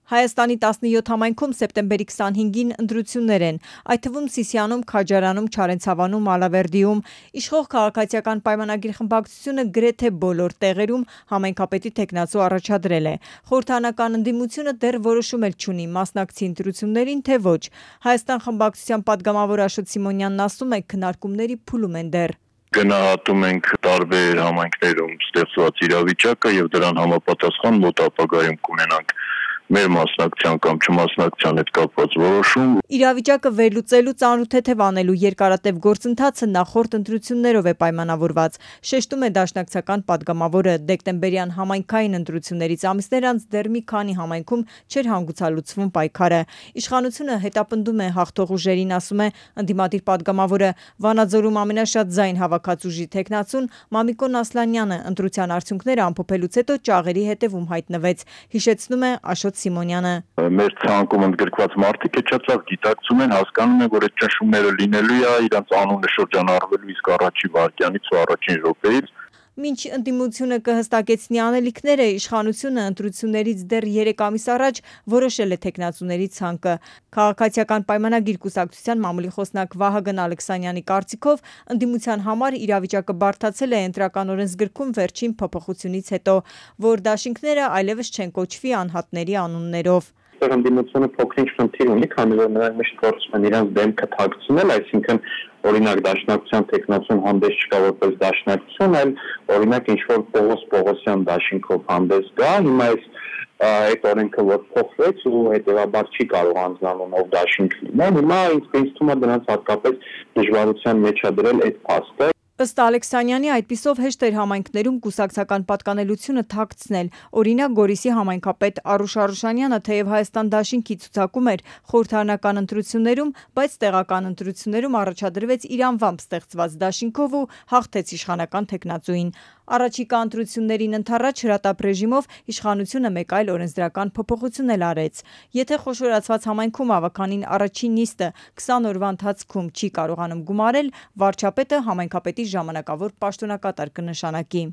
Հայաստանի 17 համայնքում սեպտեմբերի 25-ին ընտրություններ են, այդ թվում Սիսիանում, Քաջարանում, Չարենցավանում, Ալավերդիում, իշխող քաղաքացիական պայմանագիր խմբակցությունը գրեթե բոլոր տեղերում համայնքապետի թեկնածու առաջադրել է։ Խորհրդարանական ընդդիմությունը դեռ որոշում էլ չունի մասնակցի ընտրություններին, թե ոչ։ Հայաստան խմբակցության падգամավոր Աշոտ Սիմոնյանն ասում է, քննարկումների փուլում են դեռ։ Գնահատում ենք տարբեր համայնքներում ստեղծված իրավիճակը եւ դրան համապատասխան մոտ ապագայում կունենանք մեր մասնակցության կամ չմասնակցության հետ կապված որոշում։ Իրավիճակը վերլուծելու ծանրութեթև անելու երկարատև գործընթացը նախորդ ընտրություններով է պայմանավորված, շեշտում է դաշնակցական падգամավորը։ Դեկտեմբերյան համայնքային ընտրություններից ամիսներ անց դեռ մի քանի համայնքում չէր հանգուցալուծվում պայքարը։ Իշխանությունը հետապնդում է հաղթող ուժերին, ասում է ընդդիմադիր падգամավորը։ Վանաձորում ամենաշատ ձայն հավաքած ուժի թեկնածուն Մամիկոն Ասլանյանը ընտրության արդյունքները ամփոփելուց հետո ճաղերի հետևում հայտնվեց, հիշեցնում է Աշոտ Սիմոնյանը։ Մեր ցանկում ընդգրկված մարդիկ էջացավ գիտակցում են, հասկանում են, որ այդ ճնշումները լինելու է, իրանց անունը շրջանառվելու իսկ առաջի վայրկյանից ու առաջին րոպեից։ Մինչ ընդդիմությունը կհստակեցնի անելիքները, իշխանությունը ընտրություններից դեռ 3 ամիս առաջ որոշել է թեկնածուների ցանկը։ Քաղաքացիական պայմանագիր կուսակցության մամուլի խոսնակ Վահագն Ալեքսանյանի կարծիքով ընդդիմության համար իրավիճակը բարդացել է ընտրական օրենսգրքում վերջին փոփոխությունից հետո, որ դաշինքները այլևս չեն կոչվի անհատների անուններով։ Ընդդիմությունը փոքրինչ խնդիր ունի, քանի որ նրանք միշտ փորձում են իրենց դեմքը թաքցնել, այսինքն օրինակ դաշնակցության տեխնացուն հանդես չկա որպես դաշնակցություն, այլ օրինակ ինչ-որ Պողոսյան դաշինքով հանդես գա, հիմա այդ օրենքը որ փոխվեց ու հետևաբար չի կարող անձնանունով դաշինք լինել, հիմա ինձ թվում է դրանց հատկապես դժվարության մեջ է դրել այդ փաստը։ Ըստ Ալեքսանյանի, այդպիսով հեշտ էր համայնքներում կուսակցական պատկանելությունը թաքցնել։ Օրինակ Գորիսի համայնքապետ Արուշ Արուշանյանը թեև Հայաստան դաշինքի ցուցակում էր խորհրդարանական ընտրություններում, բայց տեղական ընտրություններում առաջադրվեց իր անվամբ ստեղծված դաշինքով ու հաղթեց իշխանական թեկնածուին։ Առաջիկա ընտրություններին ընդառաջ հրատապ ռեժիմով իշխանությունը մեկ այլ օրենսդրական փոփոխություն էլ արեց։ Եթե խոշորացված համայնքում ավականին առաջին նիստը 20 օրվա ընթացքում չի կարողանում գումարել, վարչապետը համայնքապետի ժամանակավոր պաշտոնակատար կնշանակի։